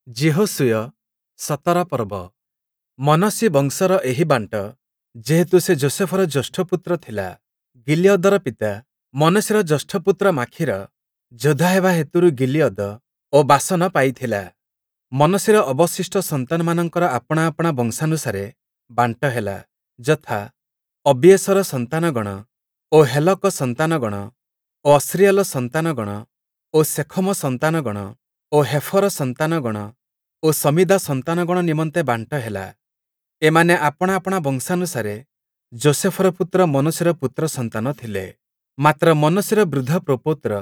ଯିହୋଶୂୟ ୧୭ ପର୍ବ। ମନଃଶି ବଂଶର ଏହି ବାଣ୍ଟ, ଯେହେତୁ ସେ ଯୋଷେଫର ଜ୍ୟେଷ୍ଠପୁତ୍ର ଥିଲା। ଗିଲିୟଦର ପିତା ମନଃଶିର ଜ୍ୟେଷ୍ଠପୁତ୍ର ମାଖୀର ଯୋଦ୍ଧା ହେବା ହେତୁରୁ ଗିଲିୟଦ ଓ ବାଶନ ପାଇଥିଲା। ମନଃଶିର ଅବଶିଷ୍ଟ ସନ୍ତାନମାନଙ୍କର ଆପଣା ଆପଣା ବଂଶାନୁସାରେ ବାଣ୍ଟ ହେଲା, ଯଥା, ଅବିୟେଷର ସନ୍ତାନଗଣ ଓ ହେଲକ ସନ୍ତାନଗଣ ଓ ଅସ୍ରୀଏଲ ସନ୍ତାନଗଣ ଓ ଶେଖମ ସନ୍ତାନଗଣ ଓ ହେଫର ସନ୍ତାନଗଣ ଓ ଶମୀଦା ସନ୍ତାନଗଣ ନିମନ୍ତେ ବାଣ୍ଟ ହେଲା। ଏମାନେ ଆପଣା ଆପଣା ବଂଶାନୁସାରେ ଯୋଷେଫର ପୁତ୍ର ମନଃଶିର ପୁତ୍ରସନ୍ତାନ ଥିଲେ। ମାତ୍ର ମନଃଶିର ବୃଦ୍ଧ ପ୍ରପୌତ୍ର,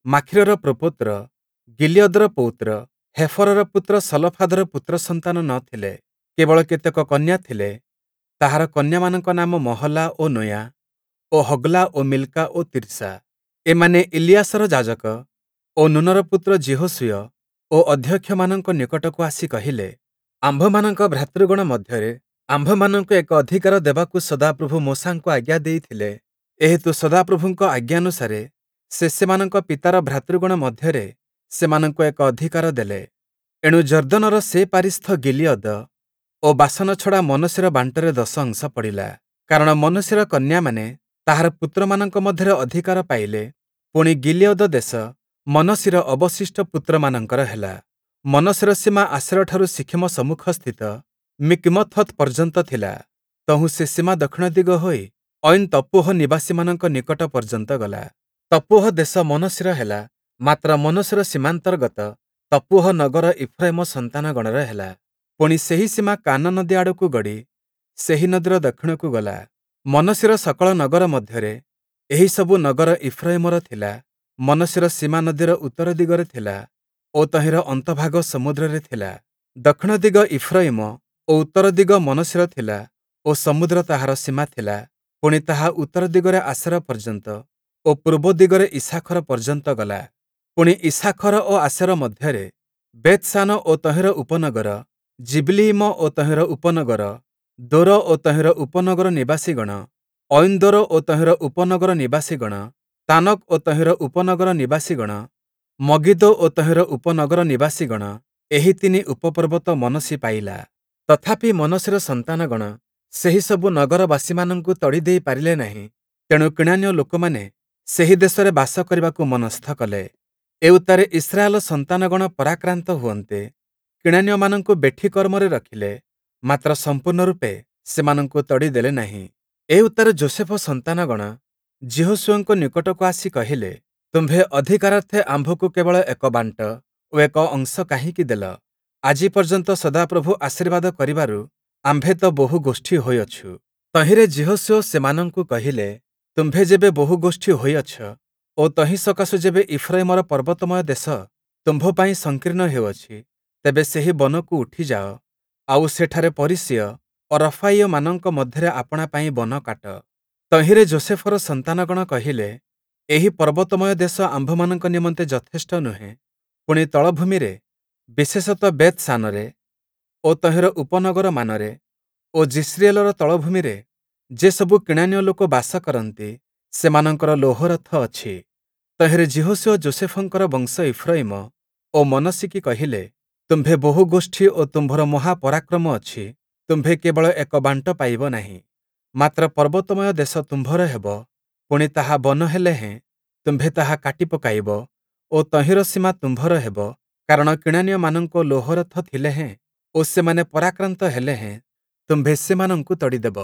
ମାଖୀରର ପ୍ରପୌତ୍ର, ଗିଲିୟଦର ପୌତ୍ର, ହେଫରର ପୁତ୍ର ସଲଫାଦର ପୁତ୍ରସନ୍ତାନ ନ ଥିଲେ, କେବଳ କେତେକ କନ୍ୟା ଥିଲେ। ତାହାର କନ୍ୟାମାନଙ୍କ ନାମ ମହଲା ଓ ନୋୟା ଓ ହଗ୍ଲା ଓ ମିଲ୍କା ଓ ତିର୍ସା। ଏମାନେ ଇଲିୟାସର ଯାଜକ ଓ ନୂନର ପୁତ୍ର ଯିହୋଶୂୟ ଓ ଅଧ୍ୟକ୍ଷମାନଙ୍କ ନିକଟକୁ ଆସି କହିଲେ, ଆମ୍ଭମାନଙ୍କ ଭ୍ରାତୃଗଣ ମଧ୍ୟରେ ଆମ୍ଭମାନଙ୍କୁ ଏକ ଅଧିକାର ଦେବାକୁ ସଦାପ୍ରଭୁ ମୋଶାଙ୍କୁ ଆଜ୍ଞା ଦେଇଥିଲେ। ଏହେତୁ ସଦାପ୍ରଭୁଙ୍କ ଆଜ୍ଞାନୁସାରେ ସେ ସେମାନଙ୍କ ପିତାର ଭ୍ରାତୃଗଣ ମଧ୍ୟରେ ସେମାନଙ୍କୁ ଏକ ଅଧିକାର ଦେଲେ। ଏଣୁ ଯର୍ଦ୍ଦନର ସେ ପାରିସ୍ଥ ଗିଲିୟଦ ଓ ବାଶନ ଛଡ଼ା ମନଃଶିର ବାଣ୍ଟରେ ଦଶ ଅଂଶ ପଡ଼ିଲା। କାରଣ ମନଃଶିର କନ୍ୟାମାନେ ତାହାର ପୁତ୍ରମାନଙ୍କ ମଧ୍ୟରେ ଅଧିକାର ପାଇଲେ। ପୁଣି ଗିଲିୟଦ ଦେଶ ମନଃଶିର ଅବଶିଷ୍ଟ ପୁତ୍ରମାନଙ୍କର ହେଲା। ମନଃଶିର ସୀମା ଆଶେରଠାରୁ ଶିଖେମ ସମ୍ମୁଖସ୍ଥିତ ମିକ୍ମଥତ୍ ପର୍ଯ୍ୟନ୍ତ ଥିଲା। ତହୁଁ ସେ ସୀମା ଦକ୍ଷିଣ ଦିଗ ହୋଇ ଐନ୍ ତପ୍ପୂହ ନିବାସୀମାନଙ୍କ ନିକଟ ପର୍ଯ୍ୟନ୍ତ ଗଲା। ତପ୍ପୂହ ଦେଶ ମନଃଶିର ହେଲା, ମାତ୍ର ମନଃଶିର ସୀମାନ୍ତର୍ଗତ ତପ୍ପୂହ ନଗର ଇଫ୍ରୟିମ ସନ୍ତାନଗଣର ହେଲା। ପୁଣି ସେହି ସୀମା କାନା ନଦୀ ଆଡ଼କୁ ଗଡ଼ି ସେହି ନଦୀର ଦକ୍ଷିଣକୁ ଗଲା। ମନଃଶିର ସକଳ ନଗର ମଧ୍ୟରେ ଏହିସବୁ ନଗର ଇଫ୍ରୟିମର ଥିଲା। ମନଃଶିର ସୀମା ନଦୀର ଉତ୍ତର ଦିଗରେ ଥିଲା ଓ ତହିଁର ଅନ୍ତଭାଗ ସମୁଦ୍ରରେ ଥିଲା। ଦକ୍ଷିଣ ଦିଗ ଇଫ୍ରୟିମ ଓ ଉତ୍ତର ଦିଗ ମନଃଶିର ଥିଲା ଓ ସମୁଦ୍ର ତାହାର ସୀମା ଥିଲା। ପୁଣି ତାହା ଉତ୍ତର ଦିଗରେ ଆଶେର ପର୍ଯ୍ୟନ୍ତ ଓ ପୂର୍ବ ଦିଗରେ ଇସ୍ସାଖର ପର୍ଯ୍ୟନ୍ତ ଗଲା। ପୁଣି ଇସ୍ସାଖର ଓ ଆଶେର ମଧ୍ୟରେ ବେଥ୍‌ଶାନ ଓ ତହିଁର ଉପନଗର, ଯିବ୍‌ଲିୟିମ ଓ ତହିଁର ଉପନଗର, ଦୋର ଓ ତହିଁର ଉପନଗର ନିବାସୀଗଣ, ଐନ୍ଦୋର ଓ ତହିଁର ଉପନଗର ନିବାସୀଗଣ, ତାନକ୍ ଓ ତହିଁର ଉପନଗର ନିବାସୀଗଣ, ମଗିଦୋ ଓ ତହିଁର ଉପନଗର ନିବାସୀଗଣ, ଏହି ତିନି ଉପପର୍ବତ ମନଃଶି ପାଇଲା। ତଥାପି ମନଃଶିର ସନ୍ତାନଗଣ ସେହିସବୁ ନଗରବାସୀମାନଙ୍କୁ ତଡ଼ି ଦେଇ ପାରିଲେ ନାହିଁ। ତେଣୁ କିଣାନୀୟ ଲୋକମାନେ ସେହି ଦେଶରେ ବାସ କରିବାକୁ ମନସ୍ଥ କଲେ। ଏଉତ୍ତାରେ ଇସ୍ରାଏଲ ସନ୍ତାନଗଣ ପରାକ୍ରାନ୍ତ ହୁଅନ୍ତେ, କିଣାନୀୟମାନଙ୍କୁ ବେଠି କର୍ମରେ ରଖିଲେ, ମାତ୍ର ସମ୍ପୂର୍ଣ୍ଣ ରୂପେ ସେମାନଙ୍କୁ ତଡ଼ି ଦେଲେ ନାହିଁ। ଏଉତ୍ତାରେ ଯୋଷେଫ ସନ୍ତାନଗଣ ଯିହୋଶୂୟଙ୍କ ନିକଟକୁ ଆସି କହିଲେ, ତୁମ୍ଭେ ଅଧିକାରାର୍ଥେ ଆମ୍ଭକୁ କେବଳ ଏକ ବାଣ୍ଟ ଓ ଏକ ଅଂଶ କାହିଁକି ଦେଲ? ଆଜି ପର୍ଯ୍ୟନ୍ତ ସଦାପ୍ରଭୁ ଆଶୀର୍ବାଦ କରିବାରୁ ଆମ୍ଭେ ତ ବହୁ ଗୋଷ୍ଠୀ ହୋଇଅଛୁ। ତହିଁରେ ଯିହୋଶୂୟ ସେମାନଙ୍କୁ କହିଲେ, ତୁମ୍ଭେ ଯେବେ ବହୁ ଗୋଷ୍ଠୀ ହୋଇଅଛ ଓ ତହିଁ ସକାଶୁ ଯେବେ ଇଫ୍ରୟିମର ପର୍ବତମୟ ଦେଶ ତୁମ୍ଭ ପାଇଁ ସଂକୀର୍ଣ୍ଣ ହେଉଅଛି, ତେବେ ସେହି ବନକୁ ଉଠିଯାଅ, ଆଉ ସେଠାରେ ପରିସୀୟ ଓ ରଫାୟୀୟମାନଙ୍କ ମଧ୍ୟରେ ଆପଣା ପାଇଁ ବନ କାଟ। ତହିଁରେ ଯୋଷେଫର ସନ୍ତାନଗଣ କହିଲେ, ଏହି ପର୍ବତମୟ ଦେଶ ଆମ୍ଭମାନଙ୍କ ନିମନ୍ତେ ଯଥେଷ୍ଟ ନୁହେଁ। ପୁଣି ତଳଭୂମିରେ, ବିଶେଷତଃ ବେଥ୍‌ଶାନରେ ଓ ତହିଁର ଉପନଗରମାନରେ ଓ ଯିଷ୍ରିଏଲର ତଳଭୂମିରେ ଯେସବୁ କିଣାନୀୟ ଲୋକ ବାସ କରନ୍ତି, ସେମାନଙ୍କର ଲୌହରଥ ଅଛି। ତହିଁରେ ଯିହୋଶୂୟ ଯୋଷେଫଙ୍କର ବଂଶ ଇଫ୍ରୟିମ ଓ ମନଃଶିକି କହିଲେ, ତୁମ୍ଭେ ବହୁ ଗୋଷ୍ଠୀ ଓ ତୁମ୍ଭର ମହାପରାକ୍ରମ ଅଛି, ତୁମ୍ଭେ କେବଳ ଏକ ବାଣ୍ଟ ପାଇବ ନାହିଁ, ମାତ୍ର ପର୍ବତମୟ ଦେଶ ତୁମ୍ଭର ହେବ, ପୁଣି ତାହା ବନ ହେଲେ ହେଁ ତୁମ୍ଭେ ତାହା କାଟି ପକାଇବ ଓ ତହିଁର ସୀମା ତୁମ୍ଭର ହେବ, କାରଣ କିଣାନୀୟମାନଙ୍କ ଲୌହରଥ ଥିଲେ ହେଁ ଓ ସେମାନେ ପରାକ୍ରାନ୍ତ ହେଲେ ହେଁ ତୁମ୍ଭେ ସେମାନଙ୍କୁ ତଡ଼ିଦେବ।